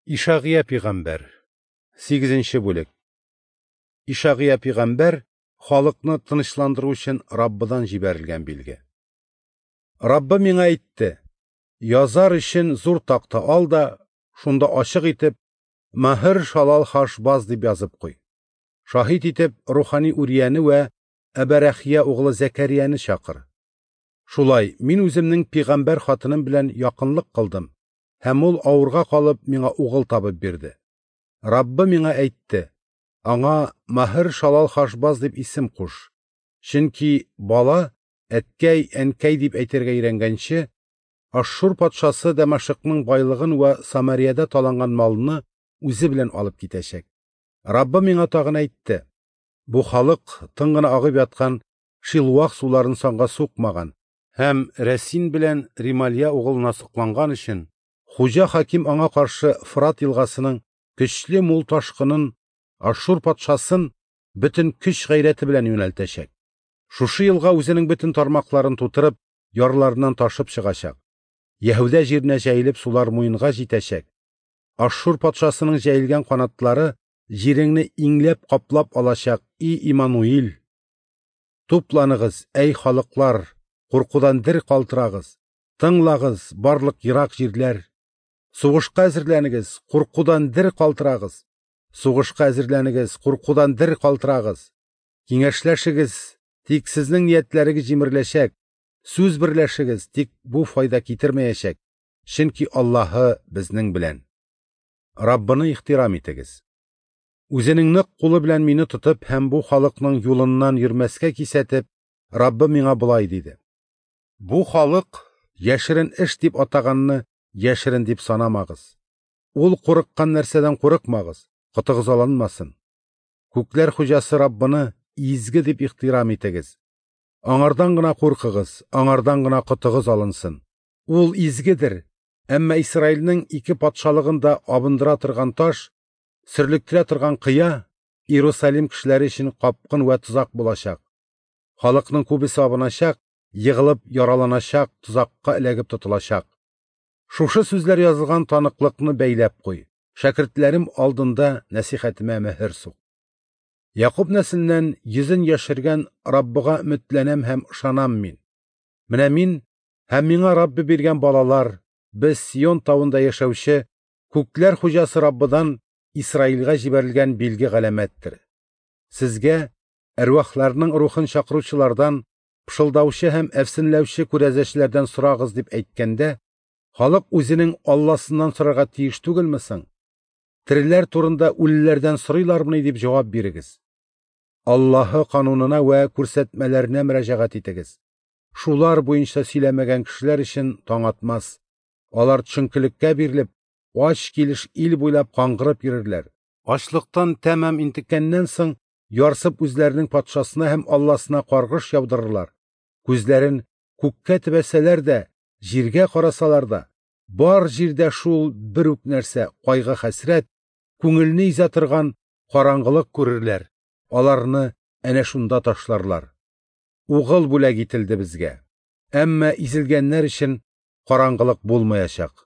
Ишагыя пигамбәр, 8 бүлек. Ишагыя пигамбәр халыкны тынычландыру өчен Раббыдан җибәрелгән билге. Раббы миңа әйтте: "Язар өчен зур такта ал да, шунда ачык итеп Маһер Шалал Хашбаз дип язып куй. Шаһит итеп рухани Урияне вә Әбәрәхия углы Зәкәрияне чакыр. Шулай мин үземнең пигамбәр хатыным белән якынлык кылдым, һәм ул авырга калып миңа угыл табып бирде. Раббы миңа әйтте: Аңа Маһер Шалал Хашбаз дип исем куш. Чөнки бала әткәй, әнкәй дип әйтергә өйрәнгәнче, Ашшур патшасы Дамашыкның байлыгын вә Самариядә таланган малны үзе белән алып китәчәк. Раббы миңа тагын әйтте: Бу халык тын гына агып яткан Шилуах суларын санга сукмаган һәм Рәсин белән Рималия угылына сокланган өчен Хуҗа хаким аңа каршы Фрат елгасының көчле мул ташкынын Ашшур патшасын бөтен көч гайрәте белән юнәлтәчәк. Шушы елга үзенең бөтен тармакларын тутырып, ярларыннан ташып чыгачак. Яһүдә җиренә җәелеп сулар муенга җитәчәк. Ашшур патшасының җәелгән канатлары җиреңне иңләп каплап алачак, и Иммануил. Тупланыгыз, әй халыклар, куркудан дер калтырагыз. Тыңлагыз, барлык ерак җирләр. Сугышка әзерләнегез, куркудан дер калтырагыз. Сугышка әзерләнегез, куркудан дер калтырагыз. Киңәшләшегез, тик сезнең ниятләрегез җимереләчәк. Сүз берләшегез, тик бу файда китермәячәк. Чөнки Аллаһы безнең белән. Раббыны ихтирам итегез. Үзенең нык кулы белән мине тотып һәм бу халыкның юлыннан йөрмәскә кисәтеп, Раббы миңа болай диде: Бу халык яшерен эш дип атаганны яшерен дип санамагыз. Ул курыккан нәрсәдән курыкмагыз, котыгыз алынмасын. Күкләр хуҗасы Раббыны изге дип ихтирам итегез. Аңардан гына куркыгыз, аңардан гына котыгыз алынсын. Ул изгедер, әмма Исраилнең ике патшалыгын да абындыра торган таш, сөрлектерә торган кыя Иерусалим кешеләре өчен капкын вә тозак булачак. Халыкның күбесе абыначак, егылып яраланачак, тозакка эләгеп тотылачак. Шушы сүзләр язылган таныклыкны бәйләп куй. Шәкертләрем алдында нәсихәтемә мөһер сук. Якуб нәселеннән йөзен яшергән Раббыга өметләнәм һәм ышанам мин. Менә мин һәм миңа Раббы биргән балалар, без Сион тавында яшәүче күкләр хуҗасы Раббыдан Исраилгә җибәрелгән билге галәмәттер. Сезгә әрвахларның рухын чакыручылардан, пышылдаучы һәм әфсенләүче күрәзәчеләрдән сорагыз дип әйткәндә, халык үзенең Алласыннан сорарга тиеш түгелме соң? Тереләр турында үлеләрдән сорыйлармыни дип җавап бирегез. Аллаһы канунына вә күрсәтмәләренә мөрәҗәгать итегез. Шулар буенча сөйләмәгән кешеләр өчен таң атмас. Алар төшенкелеккә бирелеп, ач килеш ил буйлап каңгырып йөрерләр. Ачлыктан тәмам интеккәннән соң, ярсып үзләренең патшасына һәм Алласына каргыш яудырырлар. Күзләрен күккә төбәсәләр дә, җиргә карасалар да, бар җирдә шул бер үк нәрсә кайгы-хәсрәт, күңелне изә торган караңгылык күрерләр. Аларны әнә шунда ташларлар. Угыл бүләк ителде безгә. Әмма изелгәннәр өчен караңгылык булмаячак.